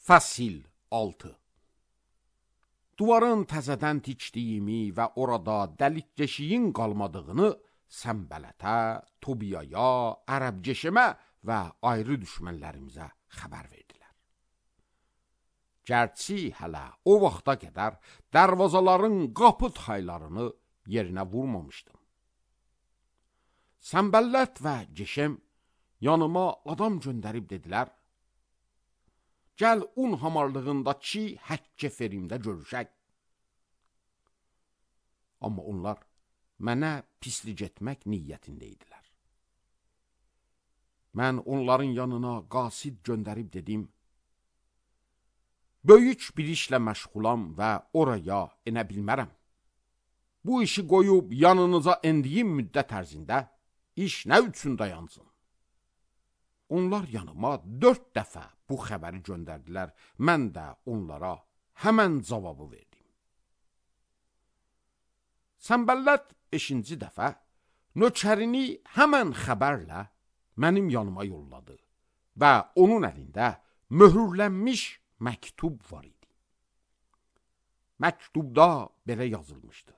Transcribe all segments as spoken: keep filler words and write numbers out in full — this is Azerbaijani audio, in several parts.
Fəsil altı. Duvarın təzədən tikdiyimi və orada dəlik deşiyin qalmadığını Səmbələtə, Tobiyaya, Ərəbceşimə və ayrı düşmənlərimizə xəbər verdilər. Gərçi hələ o vaxta qədər dərvazaların qapı taylarını yerinə vurmamışdım. Səmbələt və Ceşem yanıma adam göndərib dedilər, gəl un hamarlığındakı Həkkə Ferimdə görüşək. Amma onlar mənə pislik etmək niyyətində idilər. Mən onların yanına qasid göndərib dedim, böyük bir işlə məşğulam və oraya enə bilmərəm. Bu işi qoyub yanınıza endiyim müddət ərzində iş nə üçün dayansın? Onlar yanıma dörd dəfə bu xəbəri göndərdilər, mən də onlara həmən cavabı verdim. Səmbələt beşinci dəfə nökərini həmən xəbərlə mənim yanıma yolladı və onun əlində möhürlənmiş məktub var idi. Məktubda belə yazılmışdı.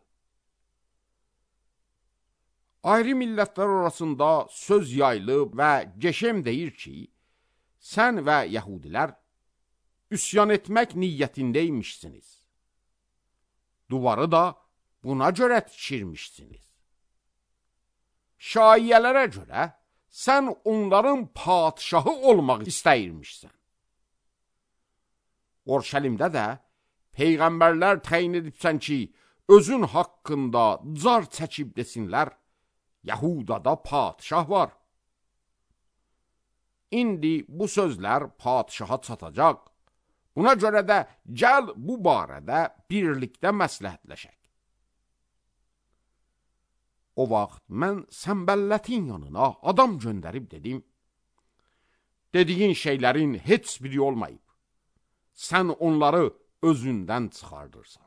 Ayrı millətlər arasında söz yayılıb və Ceşem deyir ki, sən və Yəhudilər üsyan etmək niyyətindəymişsiniz. Duvarı da buna görə tikirmişsiniz. Şaiyələrə görə sən onların padişahı olmaq istəyirmişsən. Orşəlimdə də peyğəmbərlər təyin edibsən ki, özün haqqında car çəkib desinlər, Yəhudada padişah var. İndi bu sözlər padişaha çatacaq. Buna görə də gəl bu barədə birlikdə məsləhətləşək. O vaxt mən Səmbəllətin yanına adam göndərib dedim, dediyin şeylərin heç biri olmayıb. Sən onları özündən çıxardırsan.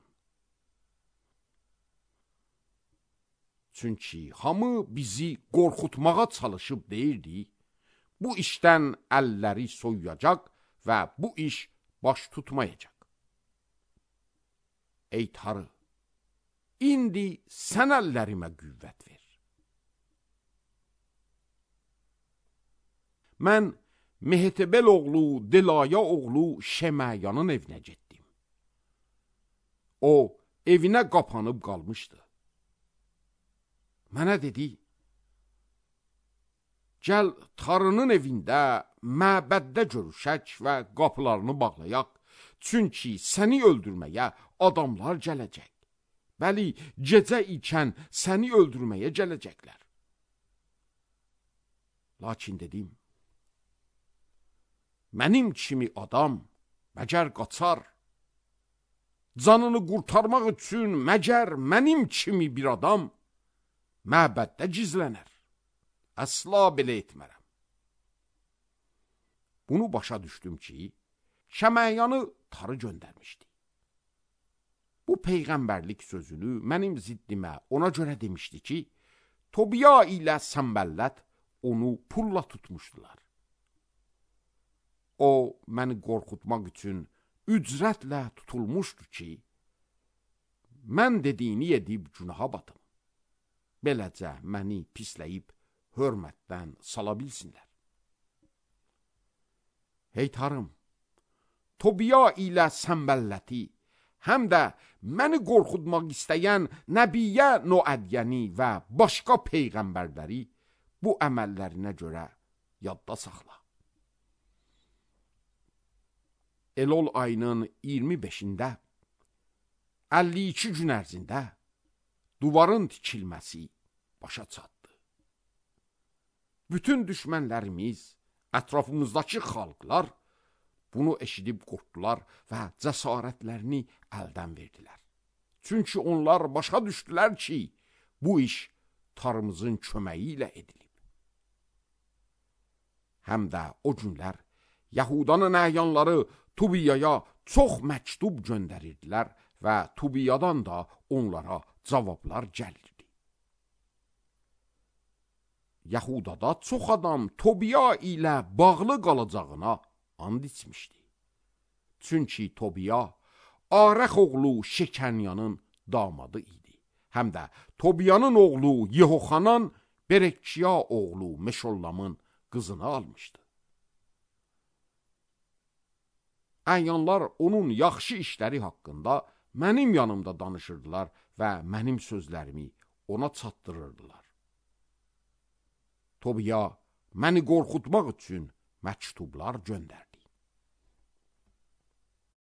Çünki hamı bizi qorxutmağa çalışıb deyirdi, bu işdən əlləri soyuyacaq və bu iş baş tutmayacaq. Ey Tanrı, indi sən əllərimə qüvvət ver. Mən Mehetebel oğlu, Delaya oğlu Şemayanın evinə getdim. O, evinə qapanıb qalmışdı. Mənə dedi, gəl Tanrının evində, məbəddə görüşək və qapılarını bağlayaq, çünki səni öldürməyə adamlar gələcək. Bəli, gecə ikən səni öldürməyə gələcəklər. Lakin dedim, mənim kimi adam məgər qaçar, canını qurtarmaq üçün məgər mənim kimi bir adam məbəddə gizlənər. Əsla belə etmərəm. Bunu başa düşdüm ki, Şəmayanı Tanrı göndərmişdi. Bu peyğəmbərlik sözünü mənim ziddimə ona görə demişdi ki, Tobiya ilə Səmbələt onu pulla tutmuşdular. O, məni qorxutmaq üçün ücrətlə tutulmuşdu ki, mən dediyini edib günaha batım. Beləcə məni pisləyib hörmətdən sala bilsinlər. Hey Tanrım, Tobiya ilə Səmbəlləti, həm də məni qorxutmaq istəyən Nəbiyyə Noədyəni və başqa peyğəmbərləri bu əməllərinə görə yadda saxla. Elol ayının iyirmi beşində, əlli iki gün ərzində duvarın tikilməsi başa çatdı. Bütün düşmənlərimiz, ətrafımızdakı xalqlar bunu eşidib qorxdular və cəsarətlərini əldən verdilər. Çünki onlar başa düşdülər ki, bu iş Tanrımızın köməyi ilə edilib. Həm də o günlər Yahudanın əyanları Tobiyaya çox məktub göndərirdilər və Tobiyadan da onlara cavablar gəlirdi. Yahudada çox adam Tobiya ilə bağlı qalacağına and içmişdi. Çünki Tobiya Arəx oğlu Şekanyanın damadı idi. Həm də Tobiyanın oğlu Yehoxanan Berekçiya oğlu Meşollamın qızını almışdı. Əyanlar onun yaxşı işləri haqqında mənim yanımda danışırdılar və mənim sözlərimi ona çatdırırdılar. Tobiya məni qorxutmaq üçün məktublar göndərdi.